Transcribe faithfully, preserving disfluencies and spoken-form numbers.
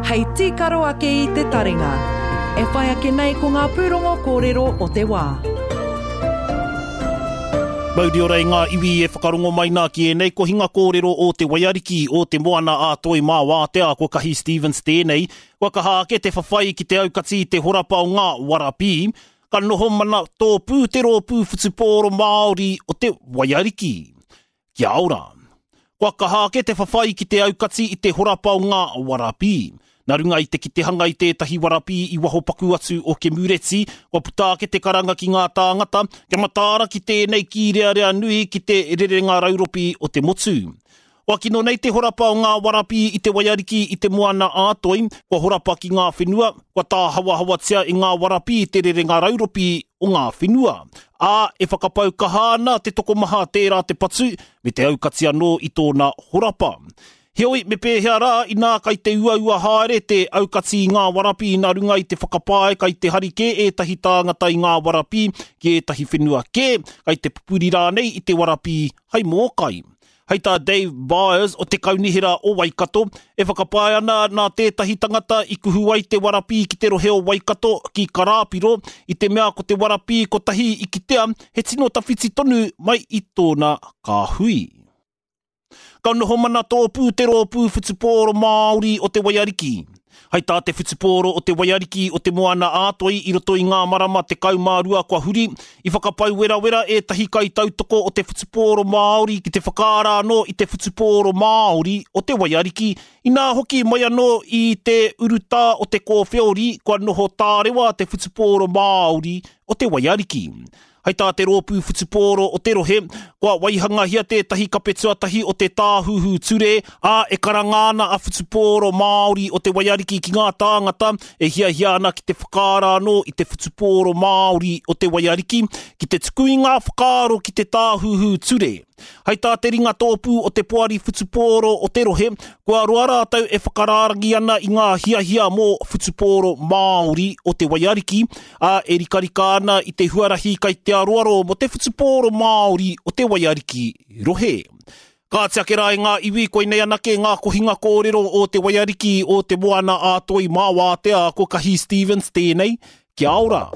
Hei tīkaro ake i te taringa. E whai ake nei ko ngā pūrongo kōrero o te wā. Mauri ora i ngā iwi e whakarongo mai nā ki ēnei kohinga kōrero o te Waiariki o te Moana a Toi mā Wātea ko Kahi Stevens tēnei. Kua kaha ake te whawhai ki te aukati i te horapa o ngā warapī. Ka noho mana tōpū te rōpū whutupōro Māori o te Waiariki. Kia ora. Kua kaha ake te whawhai ki te aukati i te horapa o ngā warapī. Nā runga i te kitehanga i tētahi warapī i waho paku atu o Kemureti, kua puta ake te karanga ki ngā tāngata, kia mataara ki tēnei kīrearea nui ki te rerenga rauropi o te motu. Kua kino nei te horapa o ngā warapī i te Waiariki i te Moana ā-Toi, kua horapa ki ngā whenua, kua tāhawahawatia i ngā warapī te rerenga rauropi o ngā whenua. Ā, e whakapau kaha ana te tokomaha tērā te patu, me te aukati anō i tōna horapa. Heoi, me pēhea rā, inā kai te uaua haere te aukati i ngā warapī nā runga i te whakapae kai te hari kē ētahi tāngata i ngā warapī ki ētahi whenua kē, kai te pupuri rānei i te warapī hai mōkai. Hei tā Dave Byers o te Kaunihera o Waikato, e whakapae ana nā tētahi tangata i kuhu ai te warapī ki te rohe o Waikato ki Karāpiro, i te mea ko te warapī kotahi i kitea he tino tawhiti tonu mai i tōna kāhui. Ka noho mana tōpū te rōpū whutupōro Māori o te Waiariki. Hei tā te whutupōro o te Waiariki o te Moana ā-Toi i roto i ngā marama tekau mā rua kua huri, i whakapau werawera ētahi kaitautoko o te whutupōro Māori ki te whakaara anō i te whutupōro Māori o te Waiariki, inā hoki mai anō i te urutā o te kōwheori kua noho tārewa te whutupōro Māori o te Waiariki. Hei tā te rōpū whutupōro o te rohe, kua waihangahia tētahi kape tuatahi o te tāhuhu ture, ā, e karanga ana a whutupōro Māori o te Waiariki ki ngā tāngata e hiahia ana ki te whakaara anō i te whutupōro Māori o te Waiariki, ki te tuku i ngā whakaaro ki te tāhuhu ture. Hei tā te ringa tōpū o te poari whutupōro o te rohe, kua roa rātou e whakarārangi ana i ngā hiahia mō whutupōro Māori o te Waiariki, ā, e rikarika ana i te huarahi kai te aroaro mō te whutupōro Māori o te Waiariki rohe. Kāti ake rā i ngā iwi, koinei anake ngā kohinga kōrero o te Waiariki o te Moana ā-Toi mā Wātea ko Kahi Stevens tēnei. Kia ora!